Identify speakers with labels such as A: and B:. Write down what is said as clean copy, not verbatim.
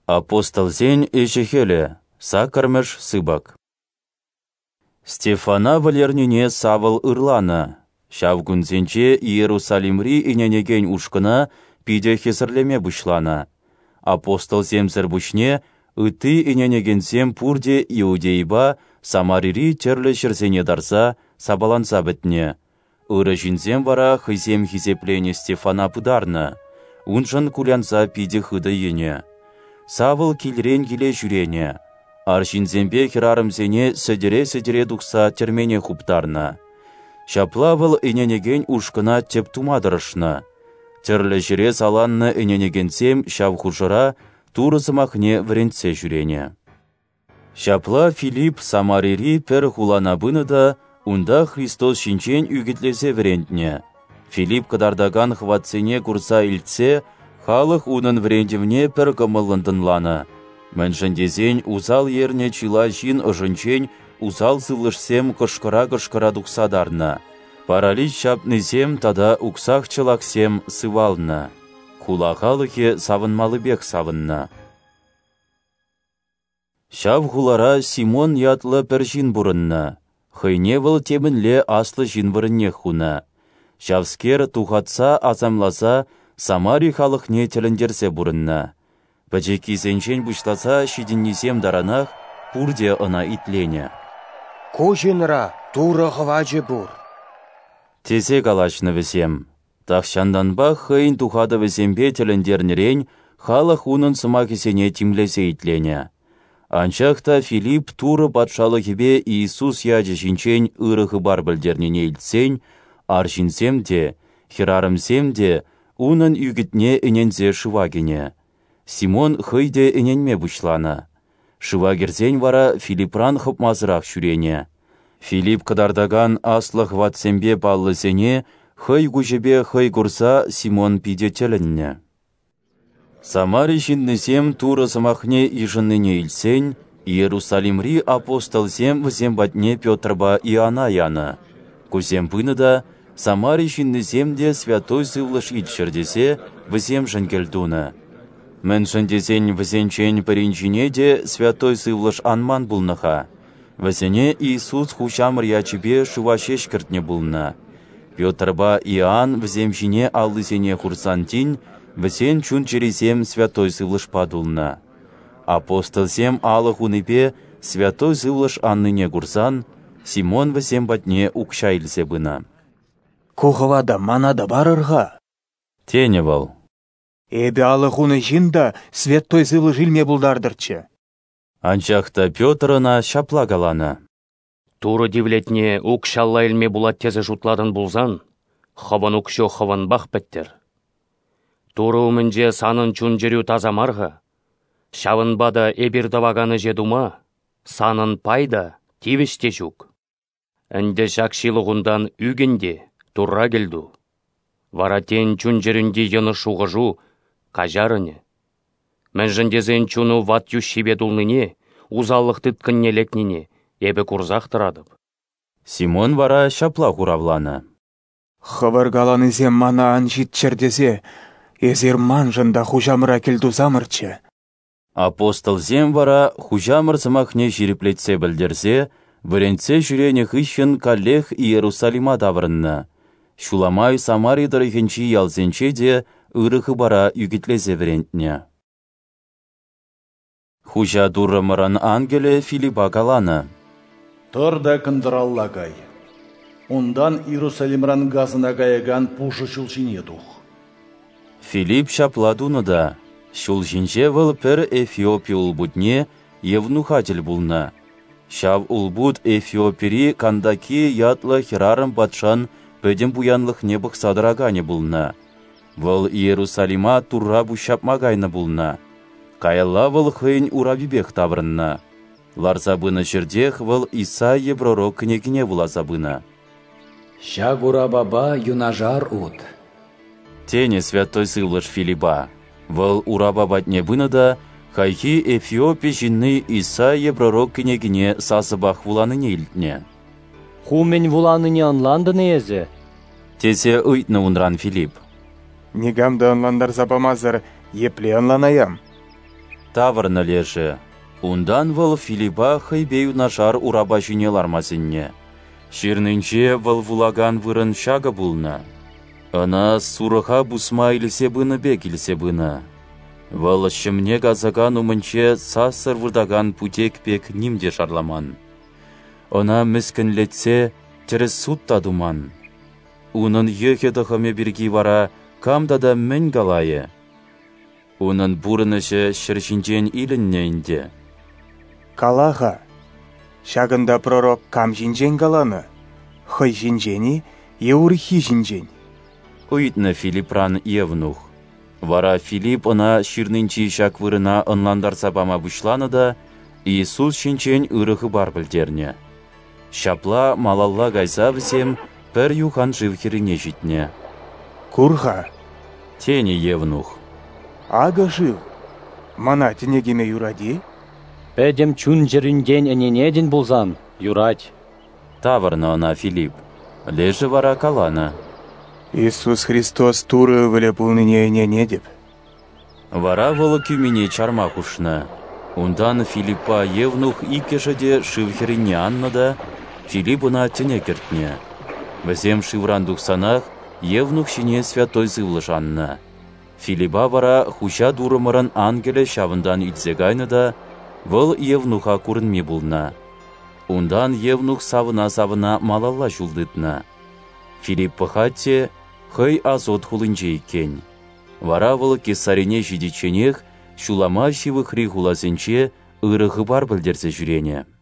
A: Апостолсен ӗҫӗ-хӗлӗ, саккӑрмӗш сыпӑк. Стефана вӗлернине Савл ырланӑ. Ҫав кунсенче Иерусалимри ӗненекен ушкӑна питӗ хӗсӗрлеме пуҫланӑ. Апостолсемсӗр пуҫне ытти ӗненекенсем пурте Иудейӑпа Самарири тӗрлӗ ҫӗрсене тарса, сапаланса пӗтнӗ. Ырӑ ҫынсем вара хӑйсем хисепленӗ Стефана пытарнӑ, уншӑн кулянса питӗ хытӑ йӗнӗ. Савл килрен киле ҫӳренӗ, арҫынсемпе хӗрарӑмсене сӗтӗре-сӗтӗре тухса тӗрмене хуптарнӑ. Ҫапла вӑл ӗненекен ушкӑна тӗп тума тӑрӑшнӑ. Тӗрлӗ ҫӗре саланнӑ ӗненекенсем ҫав хушӑра Турӑ сӑмахне вӗрентсе ҫӳренӗ. Ҫапла Филипп Самарири пӗр хулана пынӑ та унта Христос ҫинчен ӳкӗтлесе вӗрентнӗ. Филипп кӑтартакан хӑватсене курса илтсе халӑх унӑн вӗрентӗвне пӗр кӑмӑллӑн тӑнланӑ, мӗншӗн тесен усал ернӗ чылай ҫын ӑшӗнчен усал сывлӑшсем кӑшкӑра-кӑшкӑра тухса тарнӑ, паралич ҫапнисем тата уксах-чӑлахсем сывалнӑ. Хула халӑхӗ савӑнмаллипех савӑннӑ. Ҫав хулара Симон ятлӑ пӗр ҫын пурӑннӑ. Хӑйне вӑл темӗнле аслӑ ҫын вырӑннех хунӑ. Ҫавскер тухатса асамласа Самари халӑхне тӗлӗнтерсе пурӑннӑ. Пӗчӗккисенчен пуҫласа ҫитӗннисем таранах пурте ӑна итленӗ.
B: Ку ҫынра Турӑ хӑвачӗ пур,
A: тесе калаҫнӑ вӗсем. Тахҫантанпах хӑйӗн тухатӑвӗсемпе тӗлӗнтернӗрен халӑх унӑн сӑмахӗсене тимлесе итленӗ. Анчах та Филипп Турӑ патшалӑхӗпе Иисус ячӗ ҫинчен ырӑ хыпар пӗлтернине илтсен арҫынсем те, хӗрарӑмсем те унӑн ӳкӗтне ӗненсе шыва кӗнӗ. Симон хӑй те ӗненме пуҫланӑ. Шыва кӗрсен вара Филиппран хӑпмасӑрах ҫӳренӗ. Филипп кӑтартакан аслӑ хӑватсемпе паллӑсене хӑй куҫӗпе хӑй курса Симон питӗ тӗлӗннӗ. Самари ҫыннисем Турӑ сӑмахне йышӑннине илтсен Иерусалимри апостолсем вӗсем патне Петрпа Иоанна янӑ. Кусем пынӑ та Самари ҫыннисем те Святой Сывлӑш илччӗр тесе вӗсемшӗн кӗлтунӑ. Мӗншӗн тесен вӗсенчен пӗрин ҫине те Святой Сывлӑш анман пулнӑ-ха. Вӗсене Иисус Хуҫамӑр ячӗпе шыва ҫеҫ кӗртнӗ пулнӑ. Петрпа Иоанн вӗсем ҫине аллисене хурсан тин вӗсен чун-чӗрисем Святой Сывлӑшпа тулнӑ. Апостолсем алӑ хунипе Святой Сывлӑш аннине курсан Симон вӗсем патне укҫа илсе пынӑ.
B: Ку хӑвата мана та парӑр-ха,
A: тенӗ вӑл.
B: Эпӗ алӑ хунӑ ҫын та Святой Сывлӑш илме пултартӑрччӗ.
A: Анчах та Петр ӑна ҫапла каланӑ:
C: Турӑ тивлетне укҫалла илме пулать тесе шутлатӑн пулсан, хӑвӑн укҫу хӑвӑнпах пӗттӗр. Турӑ умӗнче санӑн чун-чӗрӳ таса мар-ха. Ҫавӑнпа та эпир тӑвакан ӗҫе тума санӑн пай та, тивӗҫ те ҫук. Ӗнтӗ ҫак ҫылӑхунтан ӳкӗн те Турра кӗлту. Вара тен чун-чӗрӳнти йӑнӑш шухӑшу каҫарӑнӗ. Мӗншӗн тесен чуну ват йӳҫҫипе тулнине, усаллӑх тыткӑнне лекнине эпӗ курсах тӑратӑп.
A: Симон вара ҫапла хуравланӑ:
B: Хӑвӑр каланисем мана ан ҫитчӗр тесе эсир маншӑн та Хуҫамӑра кӗлтусамӑрччӗ.
A: Апостолсем вара Хуҫамӑр сӑмахне ҫирӗплетсе пӗлтерсе, вӗрентсе ҫӳренӗ хыҫҫӑн каллех Иерусалима таврӑннӑ. Ҫула май Самари тӑрӑхӗнчи ялсенче те ырӑ хыпара ӳкӗтлесе вӗрентнӗ. Хуҫа Туррӑмӑрӑн ангелӗ Филиппа каланӑ:
D: Тӑр та кӑнтӑралла кай. Унтан Иерусалимран Газӑна каякан пушӑ ҫул ҫине тух.
A: Филипп ҫапла тунӑ та. Ҫул ҫинче вӑл пӗр Эфиопи улпутне Евнуха тӗл пулнӑ. Ҫав улпут Эфиопири Кандакия ятлӑ хӗрарӑм патшан пӗтӗм пуянлӑхне пӑхса тӑраканӗ пулнӑ. Вӑл Иерусалима Турра пуҫҫапма кайнӑ пулнӑ. Каялла вӑл хӑйӗн урапипех таврӑннӑ. Ларса пынӑ ҫӗртех вӑл Исаия пророк кӗнекине вуласа пынӑ.
E: Ҫак урапапа юнашар ут,
A: тенӗ Святой Сывлӑш Филиппа. Вӑл урапа патне пынӑ та хайхи Эфиопи ҫынни Исаия пророк кӗнекине сасӑпах вуланине илтнӗ.
F: Ху мӗн вуланине ӑнлантӑн-и эсӗ?
A: Тесе ыйтнӑ унран Филипп.
B: Никам та ӑнлантарса памасӑр епле ӑнланаям?
A: Тавӑрнӑ лешӗ. Унтан вӑл Филипа хӑйпе юнашар урапа ҫине ларма сӗннӗ. Ҫырнинче вӑл вулакан вырӑн ҫакӑ пулнӑ. Ӑна сурӑха пусма илсе пынӑ пек илсе пынӑ. Вӑл ҫӑмне касакан умӗнче сассӑр выртакан путек пек ним те шарламан. Ӑна мӗскӗнлетсе тӗрӗс суд та туман. Унӑн йӑхӗ-тӑхӑмӗ пирки вара кам тата мӗн калайӗ? Унӑн пурӑнӑҫӗ ҫӗр ҫинчен илӗннӗ ӗнтӗ.
B: Кала-ха, ҫакӑнта пророк кам ҫинчен каланӑ? Хӑй ҫинчен-и е урӑххи ҫинчен?
A: Ыйтнӑ Филипран Евнух. Вара Филипп ӑна ҫырнинчи ҫак вырӑна ӑнлантарса пама пуҫланӑ та Иисус ҫинчен ырӑ хыпар пӗлтернӗ. Ҫапла малалла кайса вӗсем пӗр юхан шыв хӗррине ҫитнӗ.
B: Кур-ха,
A: тенӗ Евнух.
B: Акӑ шыв. Мана тӗне кӗме юрать-и?
F: Пӗтӗм чун-чӗрӳнтен ӗненетӗн пулсан, юрать.
A: Тавӑрнӑ ӑна Филипп. Лешӗ вара каланӑ:
B: Иисус Христос Турӑ Ывӑлӗ пулнине ӗненетӗп.
A: Вара вӑл кӳмине чарма хушнӑ. Унтан Филиппа Евнух иккӗшӗ те шыв хӗррине аннӑ та Филипп ӑна тӗне кӗртнӗ. Вӗсем шывран тухсанах Евнух ҫине Святой Сывлӑш аннӑ. Филиппа вара Хуҫа Турӑмӑрӑн ангелӗ ҫавӑнтан илсе кайнӑ та вӑл Евнуха курӑнми пулнӑ. Унтан Евнух савӑна-савӑна малалла ҫул тытнӑ. Филипп пӑхать те хӑй Азот хулинче иккен. Вара вӑл Кесарине ҫитичченех ҫулама ҫывӑхри хуласенче ырӑ хыпар пӗлтерсе ҫӳренӗ.